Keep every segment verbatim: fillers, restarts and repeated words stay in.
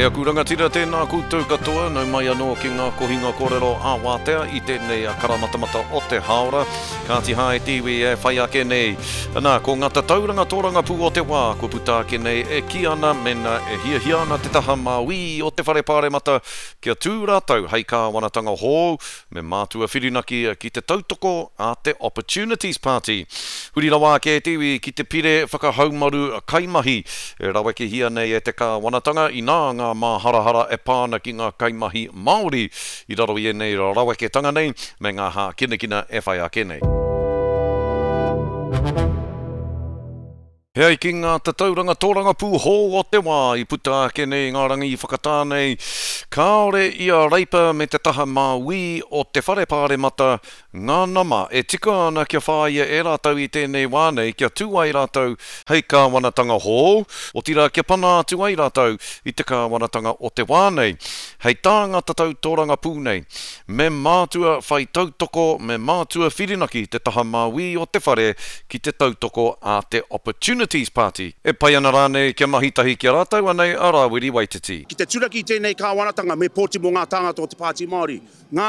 E aku rangatira, tēnā koutou katoa, nau mai anō ki ngā kohinga kōrero ā wātea i tēnei karamatamata o te hāora. Kāti hā e te iwi e whai ake nei. Nā, ko ngā tatauranga tōrangapū o te wā, kua puta ake nei e kī ana mena e hiahia ana te taha māui o te whare pāremata kia tū rātou hei kāwanatanga hou, me mātua whirinaki ki te tautoko a te Opportunities Party. Huri rawa ake e te iwi ki te pire whakahaumaru kaimahi e rawekehia nei e te kāwanatanga inā ngā māharahara e pā ana ki ngā kaimahi Māori i raro i ēnei raweketanga nei me ngā hākinakina e whai ake nei. He ai ki ngā tatauranga tōrangapū hou o te wā i puta ake nei ngā rangi whakatā nei, kāore i a Reipa me te taha māui o te whare pāremata ngā nama e tika ana kia whāia e rātou i tēnei wā nei kia tū ai rātou hei kāwanatanga hou, otirā kia pana atu ai rātou i te kāwanatanga o te wā nei. Hei tā ngā tatau tōrangapū nei, me mātua whai tautoko, me mātua whirinaki te taha māui o te whare ki te tautoko a te Opportunities Party. E pai ana rānei kia mahi tahi ki a rātou anei a Rāwiri Waititi. Ki te turaki i tēnei kāwanatanga me pōti mō ngā tāngata o te Pāti Māori. Ngā,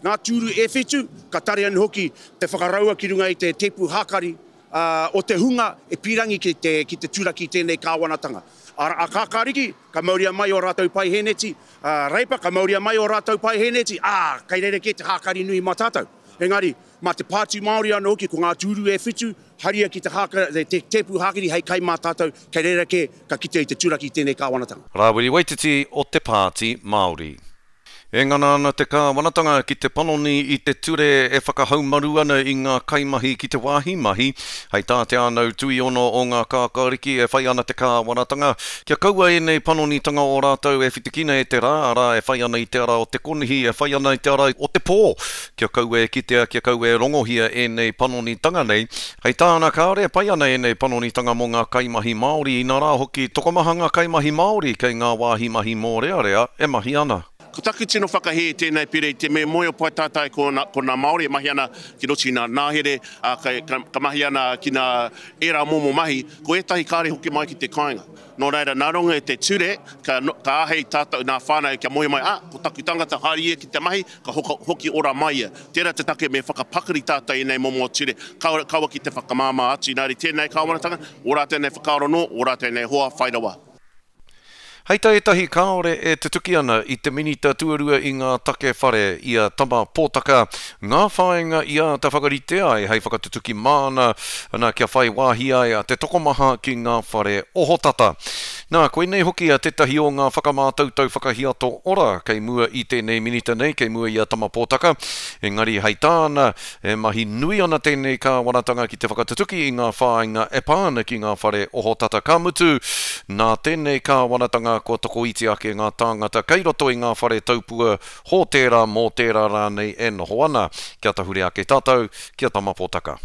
ngā tūru e whitu, ka tare anō hoki te whakaraua ki runga i te tepu hākari uh, o te hunga e pīrangi ki te, ki te turaki i tēnei kāwanatanga. A, a kākāriki, ka mauria mai o rātou paiheneti, a Reipa, ka mauria mai o rātou paiheneti, ā, kei reira kē te hākari nui mā tātou. Engari, mā te Pāti Māori anō hoki, ko ngā tūru e whitu, haria ki te, hāka, te tepu hākari hei kai mā tātou, kei reira kē ka kite i te turaki i tēnei kāwanatanga. Rāwiri Waititi o te Pāti Māori. E ngana ana te kāwanatanga ki te panoni i te ture e whakahaumaru ana i ngā kaimahi ki te wāhi mahi. Hei tā te ānau tuiono o ngā kākāriki e whai ana te kāwanatanga kia kaua ēnei panonitanga o rātou e whitikina e te rā, arā e whai ana i te ara o te konihi, e whai ana i te ara o te pō. Kia kaua e kitea, kia kaua e rongohia ēnei panonitanga nei. Hei tāna kāore e pai ana ēnei panonitanga mō ngā kaimahi Māori, inā rā hoki tokomaha ngā kaimahi Māori kei ngā wāhi mahi mōrearea e mahi ana. Ko taku tino whakahē tēnei pire i te me moe o pai tātai ko nā, ko nā Māori e mahi ana ki roto i nā nāhere, a, ka, ka, ka mahi ana ki nā ērā momo mahi, ko ētahi kāre hoki mai ki te kāinga. Nō reira, nā runga i te ture, ka, ka āhei tātou nā whānau kia moe mai, ah, ko taku tangata haere ia ki te mahi, ka hoka, hoki ora mai ia. Tērā te take me whakapakari tātou i nei momo ture, kaua, kaua ki te whakamāmā atu. Nā reira tēnei kāwanatanga, o rātou nei whakaaro nō, o rātou nei hoa whai rawa. Hei tā ētahi kāore e tutuki ana i te minita tuarua i ngā take whare i a Tama Pōtaka, ngā whāinga i āta whakarite ai hei whakatutuki māna, ana kia whai wāhi ai a te tokomaha ki ngā whare ohotata. Nā, koinei hoki a tētahi o ngā whakamātautau whakahiato ora kei mua i tēnei minita nei, kei mua i a Tama Pōtaka. Engari hei tāna, e mahi nui ana tēnei kāwanatanga ki te whakatutuki i ngā whāinga e pā ana ki ngā whare ohotata. Ka mutu, nā tēnei kāwanatanga kua tokoiti ake ngā tāngata kei roto i ngā whare taupua hōtēra mō tērā rānei e noho ana. Kia tahure ake tātou, kia Tama Pōtaka.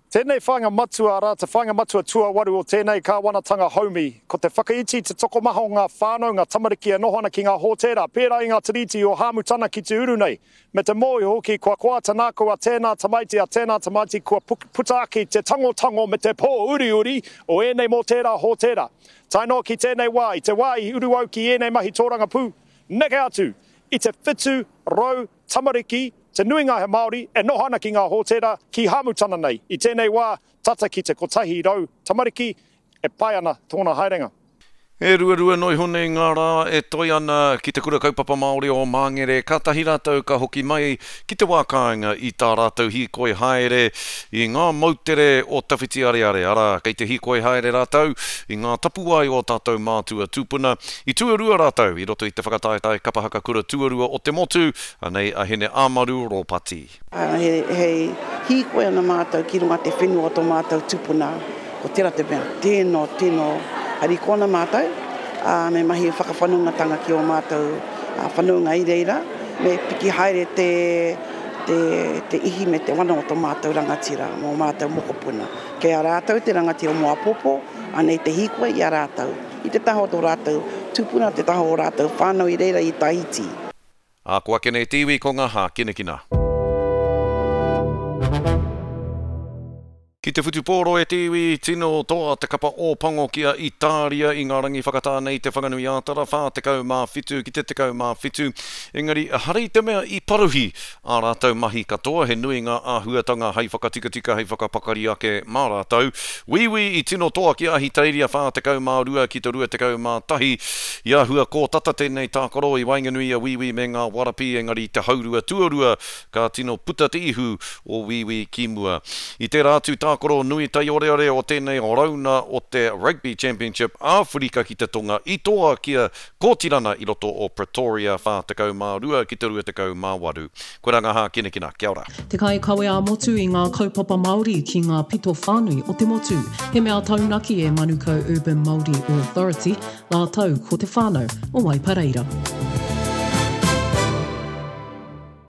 Tēnei whāinga matua, arā, te whāinga matua tuawaru o tēnei kāwanatanga haumi, ko te whakaiti te tokomaha o ngā whānau, ngā tamariki e noho ana ki ngā hōtēra, pērā i ngā tiriti o Hāmutana ki te uru nei. Me te mōhio hoki, kua koa te nākau a tēnā tamaiti, a tēnā tamaiti, kua puta ake te tangotango me te pō uriuri o ēnei mō tērā hōtēra. Tae noa ki tēnei wā, i te wā i uru au ki ēnei mahi tōrangapū, neke atu i te whitu rau tamariki, te nuinga he Māori, e noho ana ki ngā hōtēra ki Hāmutana nei. I tēnei wā, tata ki te kotahi rau tamariki, e pai ana tōna haerenga. E ruarua noa iho nei ngā rā e toi ana ki te kura kaupapa Māori o Māngere, kātahi rātou ka hoki mai ki te wā kāinga i tā rātou hīkoi haere i ngā moutere o Tawhiti Areare. Arā, kei te hīkoi haere rātou i ngā tapuwae o tātou mātua tūpuna. I tuarua rātou i roto i te whakataetae kapahaka kura tuarua o te motu, anei a Hene Āmaru Rōpati. He, he hīkoi ana mātou ki runga te whenua o tō mātou tūpuna. Ko tērā te mea, tēno, tēno, hariko ana mātou, ā, me mahi whakawhanaungatanga ki o mātou whanaunga i reira, me piki haere te, te, te ihi me te wana o tō mātou rangatira, mō mātou mokopuna. Kei a rātou te rangatira mō apopo, anei te hīkoi i a rātou. I te taha o tō rātou tūpuna, te taha o rātou whānau i reira i Tahiti. Ā, ko ake nei te iwi ko ngā hākinakina. Ki Ki te whutupōro e te iwi, tino toa te kapa Ōpango ki a Itāria i ngā rangi whakatā nei Te Whanganui-ā-Tara whā tekau mā whitu ki te tekau mā whitu. Engari, ehara i te mea i paruhi ā rātou mahi katoa, he nui ngā āhuatanga hei whakatikatika, hei whakapakari ake mā rātou. Wīwī i tino toa ki a Ahitereiria whā tekau mā rua ki te rua tekau mā tahi. I āhua kōtata tēnei tākaro i waenganui i a Wīwī me ngā Warapī, engari i te haurua tuarua ka tino puta te ihu o Wīwī ki mua. I tērā atu tākaro nui taioreore o tēnei rauna o te Rugby Championship Āwherika ki te Tonga i toa ki a Kōtirana i roto o Pretoria whā tekau mā rua ki te rua tekau mā waru. Koirā ngā hākinakina. Kia ora. Te kaikawe ā-motu i ngā kaupapa Māori ki ngā pito whānui o te motu. He mea taunaki e Manukau Urban Māori Authority rātou ko te whānau o Waipareira.